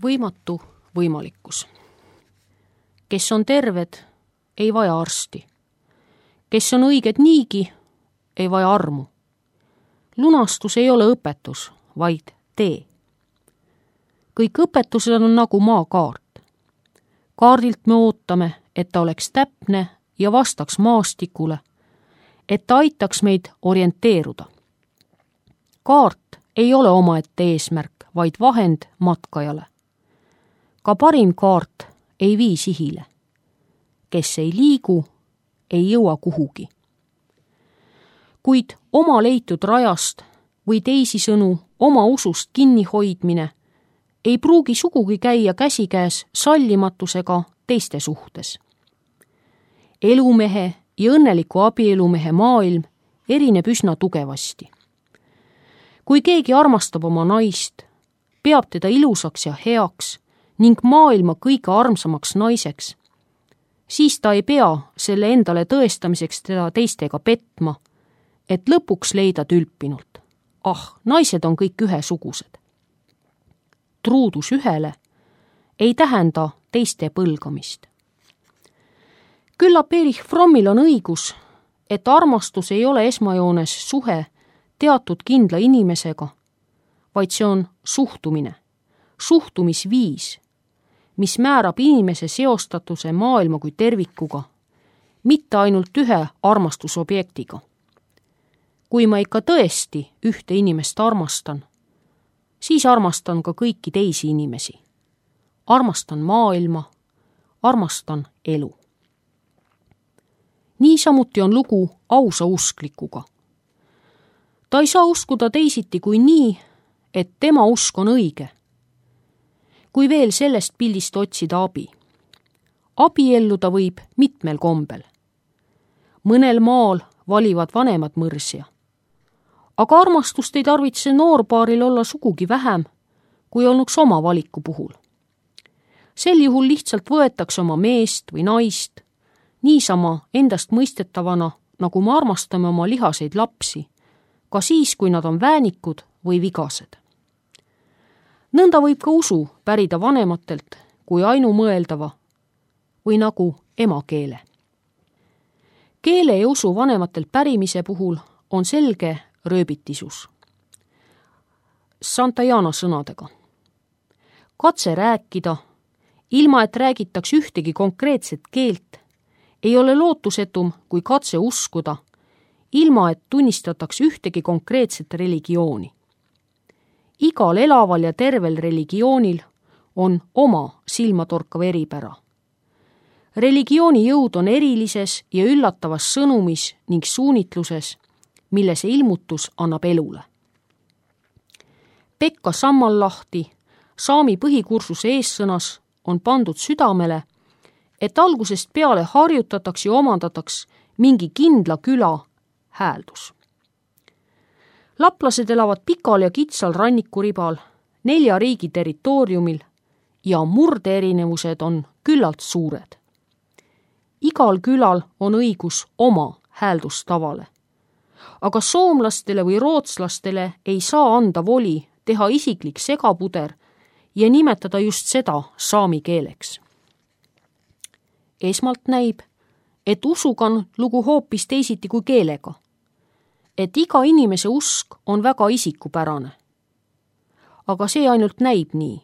Võimatu võimalikkus. Kes on terved, ei vaja arsti. Kes on õiged niigi, ei vaja armu. Lunastus ei ole õpetus, vaid tee. Kõik õpetused on nagu maakaart. Kaardilt me ootame, et ta oleks täpne ja vastaks maastikule, et ta aitaks meid orienteeruda. Kaart ei ole omaette eesmärk, vaid vahend matkajale. Ka parim kaart ei vii sihile. Kes ei liigu, ei jõua kuhugi. Kuid oma leitud rajast või teisisõnu oma usust kinnihoidmine ei pruugi sugugi käia käsikäes sallimatusega teiste suhtes. Elumehe ja õnneliku abielumehe maailm erineb üsna tugevasti. Kui keegi armastab oma naist, peab teda ilusaks ja heaks ning maailma kõige armsamaks naiseks, siis ta ei pea selle endale tõestamiseks teda teistega petma, et lõpuks leida tülpinult. Naised on kõik ühesugused. Truudus ühele ei tähenda teiste põlgamist. Küllap Erich Frommil on õigus, et armastus ei ole esmajoones suhe teatud kindla inimesega, vaid see on suhtumine, suhtumisviis, mis määrab inimese seostatuse maailma kui tervikuga, mitte ainult ühe armastusobjektiga. Kui ma ikka tõesti ühte inimest armastan, siis armastan ka kõiki teisi inimesi. Armastan maailma, armastan elu. Niisamuti on lugu ausa usklikuga. Ta ei saa uskuda teisiti kui nii, et tema usk on õige. Kui veel sellest pildist otsida abi. Abielluda võib mitmel kombel. Mõnel maal valivad vanemad mõrsja. Aga armastust ei tarvitse noorpaaril olla sugugi vähem, kui olnuks oma valiku puhul. Sel juhul lihtsalt võetakse oma meest või naist, niisama endast mõistetavana, nagu me armastame oma lihaseid lapsi, ka siis, kui nad on väänikud või vigased. Nõnda võib ka usu pärida vanematelt kui ainumõeldava või nagu emakeele. Keele ja usu vanematelt pärimise puhul on selge rööbitisus. Santayana sõnadega. Katse rääkida, ilma et räägitaks ühtegi konkreetset keelt, ei ole lootusetum kui katse uskuda, ilma et tunnistataks ühtegi konkreetset religiooni. Igal elaval ja tervel religioonil on oma silmatorkav eripära. Religiooni jõud on erilises ja üllatavas sõnumis ning suunitluses, mille see ilmutus annab elule. Pekka Sammallahti, saami põhikursuse eessõnas, on pandud südamele, et algusest peale harjutataks ja omandataks mingi kindla küla hääldus. Laplased elavad pikal ja kitsal rannikuribal, 4 riigi territooriumil ja murdeerinevused on küllalt suured. Igal külal on õigus oma hääldustavale. Aga soomlastele või rootslastele ei saa anda voli teha isiklik segapuder ja nimetada just seda saami keeleks. Esmalt näib, et usuga on lugu hoopis teisiti kui keelega. Et iga inimese usk on väga isikupärane. Aga see ainult näib nii.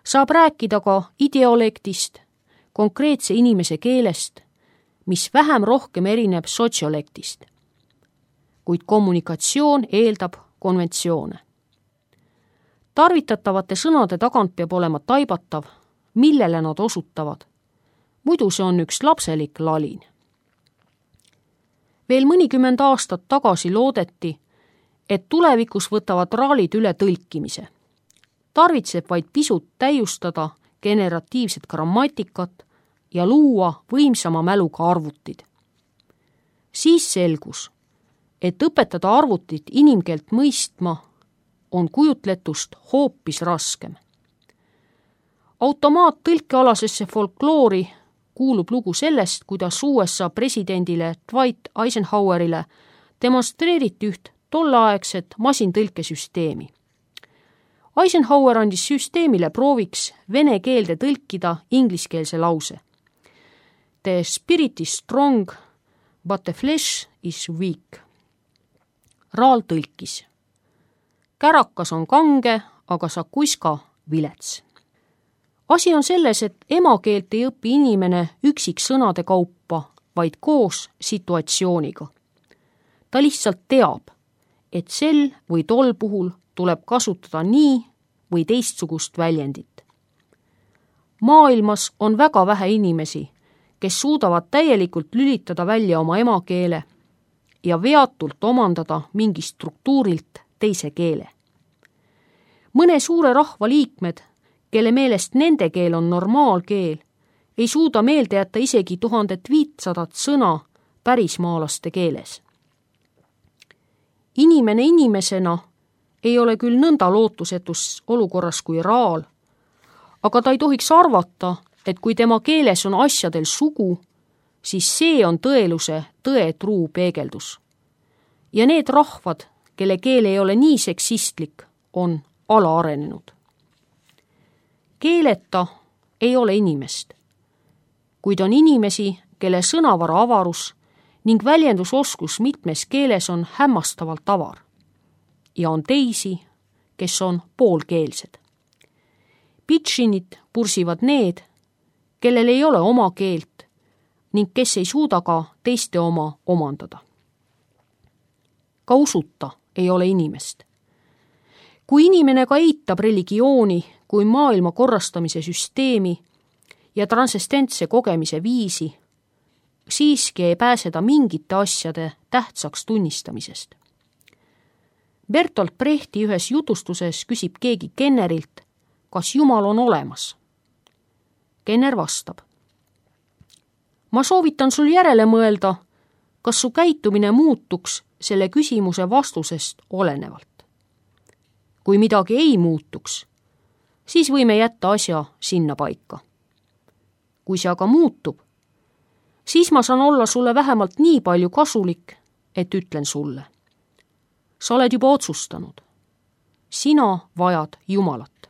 Saab rääkida ka ideolektist, konkreetse inimese keelest, mis vähem rohkem erineb sotsiolektist. Kuid kommunikatsioon eeldab konventsioone. Tarvitatavate sõnade tagant peab olema taibatav, millele nad osutavad. Muidu see on üks lapselik lalin. Veel mõnikümmend aastat tagasi loodeti, et tulevikus võtavad raalid üle tõlkimise. Tarvitseb vaid pisut täiustada generatiivset grammatikat ja luua võimsama mäluga arvutid. Siis selgus, et õpetada arvutit inimkeelt mõistma on kujutletust hoopis raskem. Automaattõlkealasesse folkloori kuulub lugu sellest, kuidas USA presidendile Dwight Eisenhowerile demonstreeriti üht tolleaegset masintõlkesüsteemi. Eisenhower andis süsteemile prooviks vene keelde tõlkida ingliskeelse lause. The spirit is strong, but the flesh is weak. Raal tõlkis. Kärakas on kange, aga Sakuiska vilets. Asi on selles, et emakeelt ei õpi inimene üksiksõnade kaupa, vaid koos situatsiooniga. Ta lihtsalt teab, et sel või tol puhul tuleb kasutada nii või teistsugust väljendit. Maailmas on väga vähe inimesi, kes suudavad täielikult lülitada välja oma emakeele ja veatult omandada mingi struktuurilt teise keele. Mõne suure rahva liikmed, kelle meelest nende keel on normaalkeel, ei suuda meelde jätta isegi 1500 sõna pärismaalaste keeles. Inimene inimesena ei ole küll nõnda lootusetus olukorras kui Raal, aga ta ei tohiks arvata, et kui tema keeles on asjadel sugu, siis see on tõeluse tõe truu peegeldus. Ja need rahvad, kelle keel ei ole nii seksistlik, on alaarenenud. Keeleta ei ole inimest, kuid on inimesi, kelle sõnavara avarus ning väljendusoskus mitmes keeles on hämmastavalt avar. Ja on teisi, kes on poolkeelsed. Pitšinit pursivad need, kellel ei ole oma keelt ning kes ei suuda ka teiste oma omandada. Ka usuta ei ole inimest. Kui inimene ka eitab religiooni kui maailma korrastamise süsteemi ja transcendentse kogemise viisi, siiski ei pääse ta mingite asjade tähtsaks tunnistamisest. Bertolt Brechti ühes jutustuses küsib keegi Kennerilt, kas Jumal on olemas. Kenner vastab. Ma soovitan sul järele mõelda, kas su käitumine muutuks selle küsimuse vastusest olenevalt. Kui midagi ei muutuks, siis võime jätta asja sinna paika. Kui see aga muutub, siis ma saan olla sulle vähemalt nii palju kasulik, et ütlen sulle. Sa oled juba otsustanud. Sina vajad Jumalat.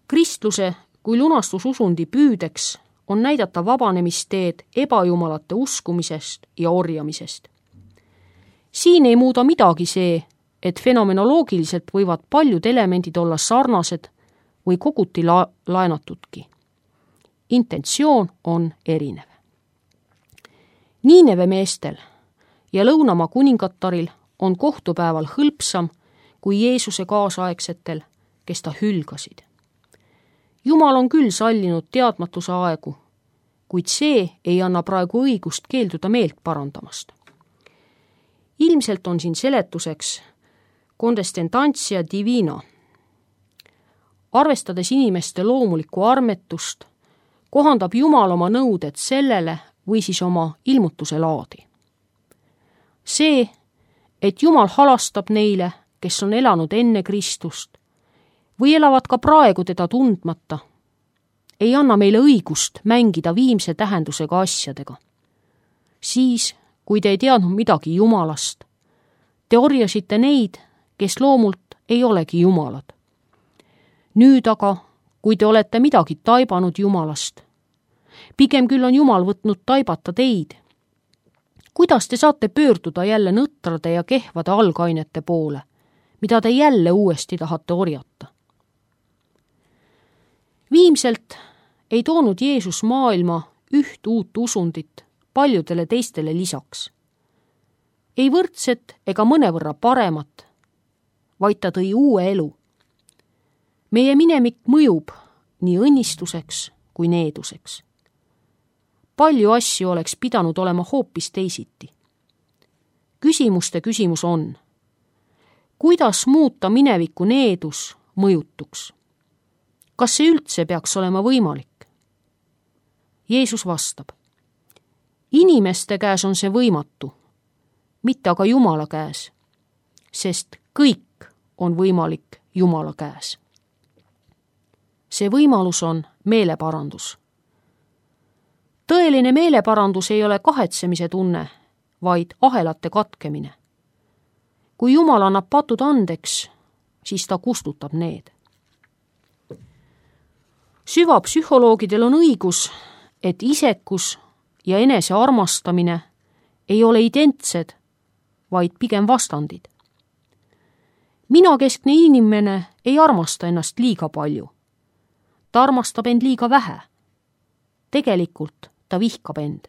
Kristluse kui lunastususundi püüdeks on näidata vabanemisteed ebajumalate uskumisest ja orjamisest. Siin ei muuda midagi see, et fenomenoloogiliselt võivad paljud elemendid olla sarnased või koguti laenatudki. Intentsioon on erinev. Niineve meestel ja Lõunamaa kuningattaril on kohtupäeval hõlpsam kui Jeesuse kaasaegsetel, kes ta hülgasid. Jumal on küll sallinud teadmatuse aegu, kuid see ei anna praegu õigust keelduda meelt parandamast. Ilmselt on siin seletuseks condescendantia divina. Arvestades inimeste loomulikku armetust, kohandab Jumal oma nõuded sellele või siis oma ilmutuse laadi. See, et Jumal halastab neile, kes on elanud enne Kristust või elavad ka praegu teda tundmata, ei anna meile õigust mängida viimse tähendusega asjadega. Siis, kui te ei teadnud midagi Jumalast, te orjasite neid, kes loomult ei olegi Jumalad. Nüüd aga, kui te olete midagi taibanud Jumalast, pigem küll on Jumal võtnud taibata teid. Kuidas te saate pöörduda jälle nõtrade ja kehvade algainete poole, mida te jälle uuesti tahate orjata? Viimselt ei toonud Jeesus maailma üht uut usundit paljudele teistele lisaks. Ei võrdset ega mõnevõrra paremat, vaid ta tõi uue elu. Meie minemik mõjub nii õnnistuseks kui needuseks. Palju asju oleks pidanud olema hoopis teisiti. Küsimuste küsimus on, kuidas muuta mineviku needus mõjutuks? Kas see üldse peaks olema võimalik? Jeesus vastab, inimeste käes on see võimatu, mitte aga Jumala käes, sest kõik on võimalik Jumala käes. See võimalus on meeleparandus. Tõeline meeleparandus ei ole kahetsemise tunne, vaid ahelate katkemine. Kui Jumal annab patud andeks, siis ta kustutab need. Süvapsühholoogidel on õigus, et isekus ja enese armastamine ei ole identsed, vaid pigem vastandid. Minakeskne inimene ei armasta ennast liiga palju. Ta armastab end liiga vähe. Tegelikult ta vihkab end.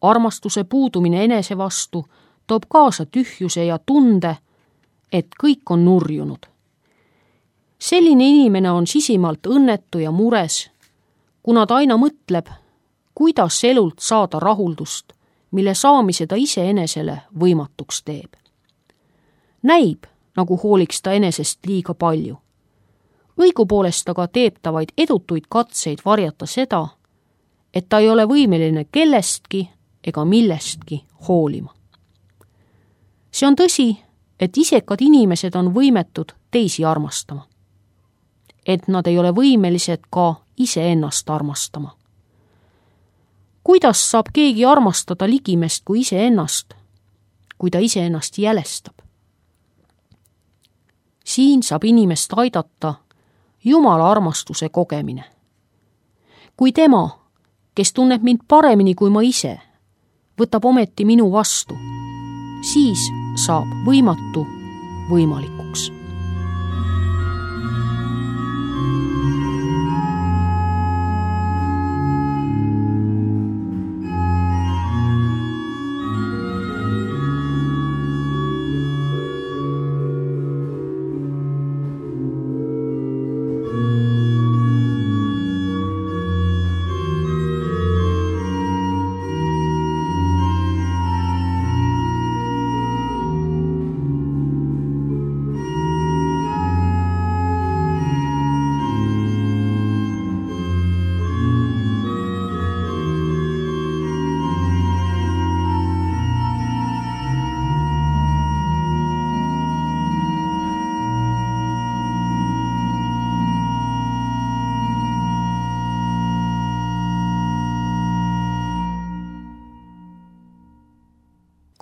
Armastuse puudumine enese vastu toob kaasa tühjuse ja tunde, et kõik on nurjunud. Selline inimene on sisimalt õnnetu ja mures, kuna ta aina mõtleb, kuidas elult saada rahuldust, mille saamise ta iseenesele võimatuks teeb. Näib, nagu hooliks ta enesest liiga palju. Õigupoolest aga teeb ta vaid edutuid katseid varjata seda, et ta ei ole võimeline kellestki ega millestki hoolima. See on tõsi, et isekad inimesed on võimetud teisi armastama. Et nad ei ole võimelised ka iseennast armastama. Kuidas saab keegi armastada ligimest kui iseennast, kui ta iseennast jälestab? Siin saab inimest aidata Jumala armastuse kogemine. Kui tema, kes tunneb mind paremini kui ma ise, võtab ometi minu vastu, siis saab võimatu võimalikuks.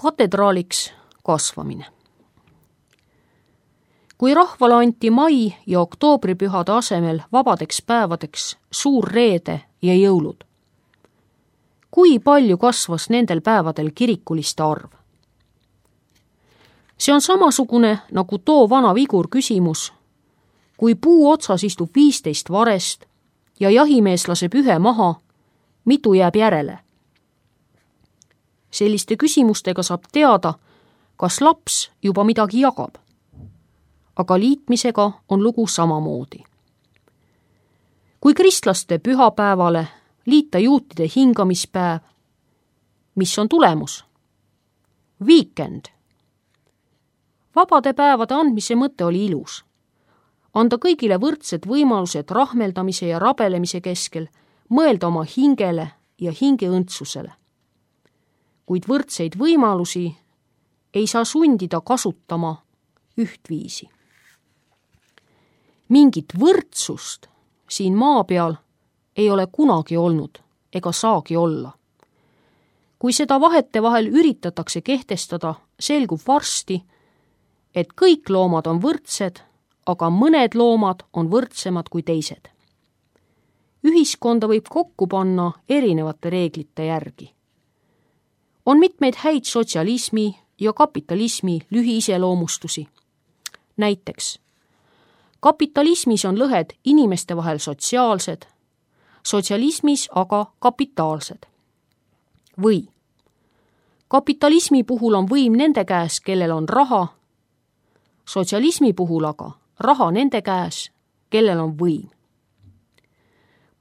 Katedraaliks kasvamine. Kui rahvale anti mai- ja oktoobripühade asemel vabadeks päevadeks suur reede ja jõulud, kui palju kasvas nendel päevadel kirikuliste arv? See on samasugune nagu too vana vigur küsimus, kui puu otsas istub 15 varest ja jahimees laseb ühe maha, mitu jääb järele? Selliste küsimustega saab teada, kas laps juba midagi jagab. Aga liitmisega on lugu samamoodi. Kui kristlaste pühapäevale liita juutide hingamispäev, mis on tulemus? Weekend. Vabade päevade andmise mõte oli ilus. Anda kõigile võrdsed võimalused rahmeldamise ja rabelemise keskel, mõelda oma hingele ja hingeõndsusele. Kuid võrdseid võimalusi ei saa sundida kasutama ühtviisi. Mingit võrdsust siin maa peal ei ole kunagi olnud ega saagi olla. Kui seda vahetevahel üritatakse kehtestada, selgub varsti, et kõik loomad on võrdsed, aga mõned loomad on võrdsemad kui teised. Ühiskonda võib kokku panna erinevate reeglite järgi. On mitmeid häid sotsialismi ja kapitalismi lühiiseloomustusi. Näiteks, kapitalismis on lõhed inimeste vahel sotsiaalsed, sotsialismis aga kapitaalsed. Või kapitalismi puhul on võim nende käes, kellel on raha, sotsialismi puhul aga raha nende käes, kellel on võim.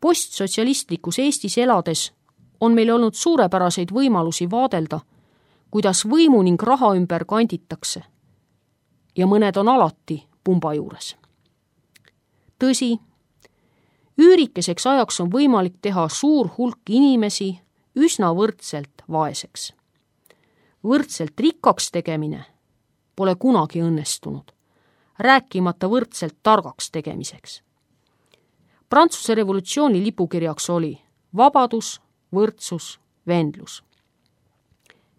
Postsotsialistlikus Eestis elades on meil olnud suurepäraseid võimalusi vaadelda, kuidas võimu ning raha ümber kanditakse. Ja mõned on alati pumba juures. Tõsi, üürikeseks ajaks on võimalik teha suur hulk inimesi üsna võrdselt vaeseks. Võrdselt rikkaks tegemine pole kunagi õnnestunud, rääkimata võrdselt targaks tegemiseks. Prantsuse revolutsiooni lipukirjaks oli vabadus, võrdsus, vendlus.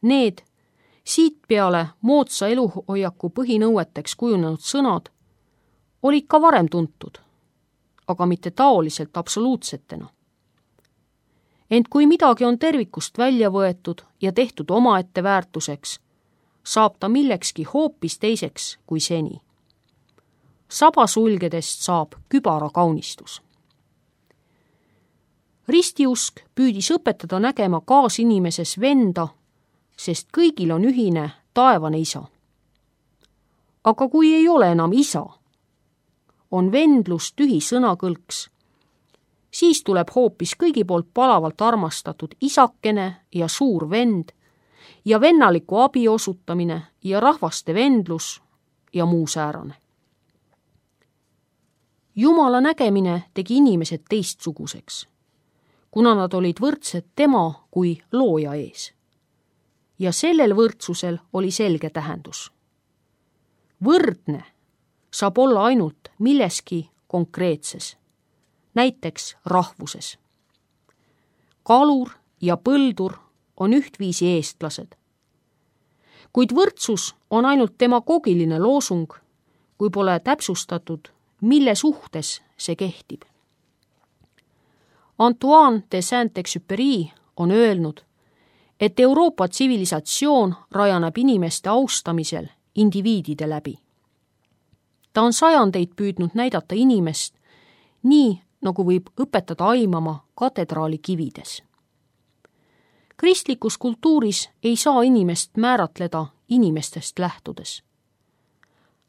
Need, Siit peale moodsa eluhoiaku põhinõueteks kujunenud sõnad olid ka varem tuntud, aga mitte taoliselt absoluutsetena. Ent kui midagi on tervikust välja võetud ja tehtud omaette väärtuseks, saab ta millekski hoopis teiseks kui seni. Saba sulgedest saab kübara kaunistus. Ristiusk püüdis õpetada nägema kaasinimises venda, sest kõigil on ühine taevane isa. Aga kui ei ole enam isa, on vendlus tühi sõnakõlks, siis tuleb hoopis kõigi poolt palavalt armastatud isakene ja suur vend ja vennaliku abi osutamine ja rahvaste vendlus ja muu säärane. Jumala nägemine tegi inimesed teistsuguseks, kuna nad olid võrdsed tema kui looja ees. Ja sellel võrdsusel oli selge tähendus. Võrdne saab olla ainult milleski konkreetses, näiteks rahvuses. Kalur ja põldur on ühtviisi eestlased. Kuid võrdsus on ainult demagoogiline loosung, kui pole täpsustatud, mille suhtes see kehtib. Antoine de Saint-Exupéry on öelnud, et Euroopa tsivilisatsioon rajaneb inimeste austamisel indiviidide läbi. Ta on sajandeid püüdnud näidata inimest nii, nagu võib õpetada aimama katedraali kivides. Kristlikus kultuuris ei saa inimest määratleda inimestest lähtudes.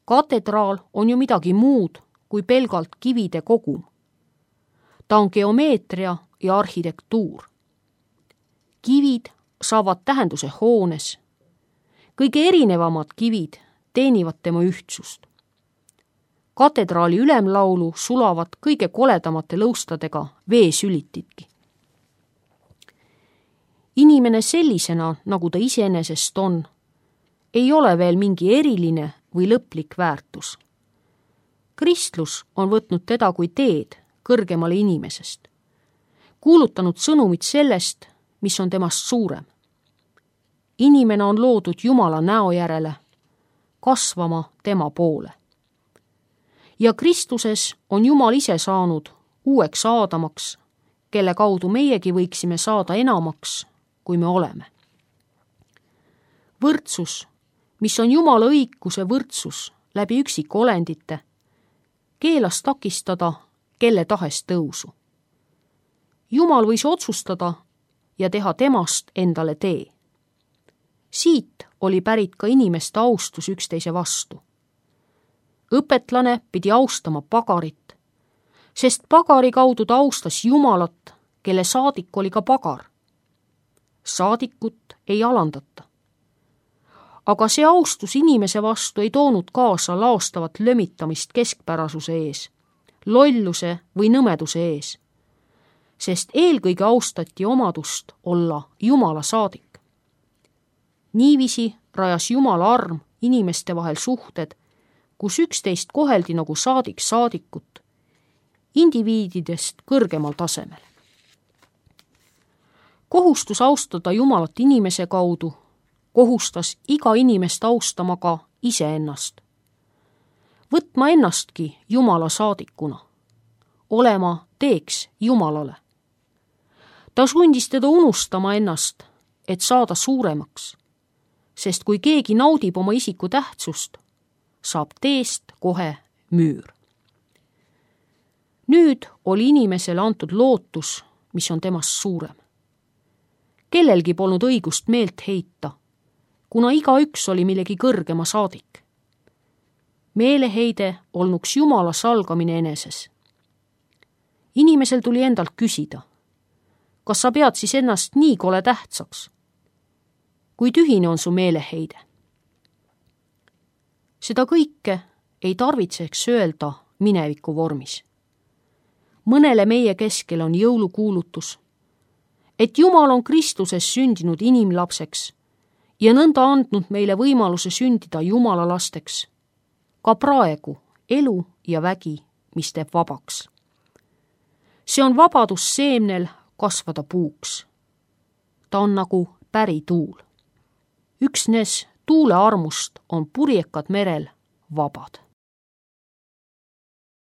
Katedraal on ju midagi muud kui pelgalt kivide kogum. Ta on geomeetria ja arhitektuur. Kivid saavad tähenduse hoones. Kõige erinevamad kivid teenivad tema ühtsust. Katedraali ülemlaulu sulavad kõige koledamate lõustadega veesülitidki. Inimene sellisena, nagu ta iseenesest on, ei ole veel mingi eriline või lõplik väärtus. Kristlus on võtnud teda kui teed kõrgemale inimesest, kuulutanud sõnumit sellest, mis on temast suurem. Inimene on loodud Jumala näo järele, kasvama tema poole. Ja Kristuses on Jumal ise saanud uueks Aadamaks, kelle kaudu meiegi võiksime saada enamaks, kui me oleme. Võrdsus, mis on Jumala õiguse võrdsus läbi üksikolendite, keelas takistada kelle tahes tõusu. Jumal võis otsustada ja teha temast endale tee. Siit oli pärit ka inimeste austus üksteise vastu. Õpetlane pidi austama pagarit, sest pagari kaudu ta austas Jumalat, kelle saadik oli ka pagar. Saadikut ei alandata. Aga see austus inimese vastu ei toonud kaasa laostavat lömitamist keskpärasuse ees, lolluse või nõmeduse ees, sest eelkõige austati omadust olla Jumala saadik. Niiviisi rajas Jumala arm inimeste vahel suhted, kus üksteist koheldi nagu saadik saadikut, indiviididest kõrgemal tasemel. Kohustus austada Jumalat inimese kaudu kohustas iga inimest austama ka iseennast. Võtma ennastki Jumala saadikuna, olema teeks Jumalale. Ta sundis teda unustama ennast, et saada suuremaks, sest kui keegi naudib oma isiku tähtsust, saab teest kohe müür. Nüüd oli inimesele antud lootus, mis on temast suurem. Kellelgi polnud õigust meelt heita, kuna igaüks oli millegi kõrgema saadik. Meeleheide olnuks Jumala salgamine eneses. Inimesel tuli endalt küsida, kas sa pead siis ennast nii kole tähtsaks? Kui tühine on su meeleheide? Seda kõike ei tarvitseks öelda mineviku vormis. Mõnele meie keskel on jõulukuulutus, et Jumal on Kristuses sündinud inimlapseks ja nõnda andnud meile võimaluse sündida Jumala lasteks, ka praegu elu ja vägi, mis teeb vabaks. See on vabadus seemnel kasvada puuks. Ta on nagu pärituul. üksnes tuule armust on purjekad merel vabad.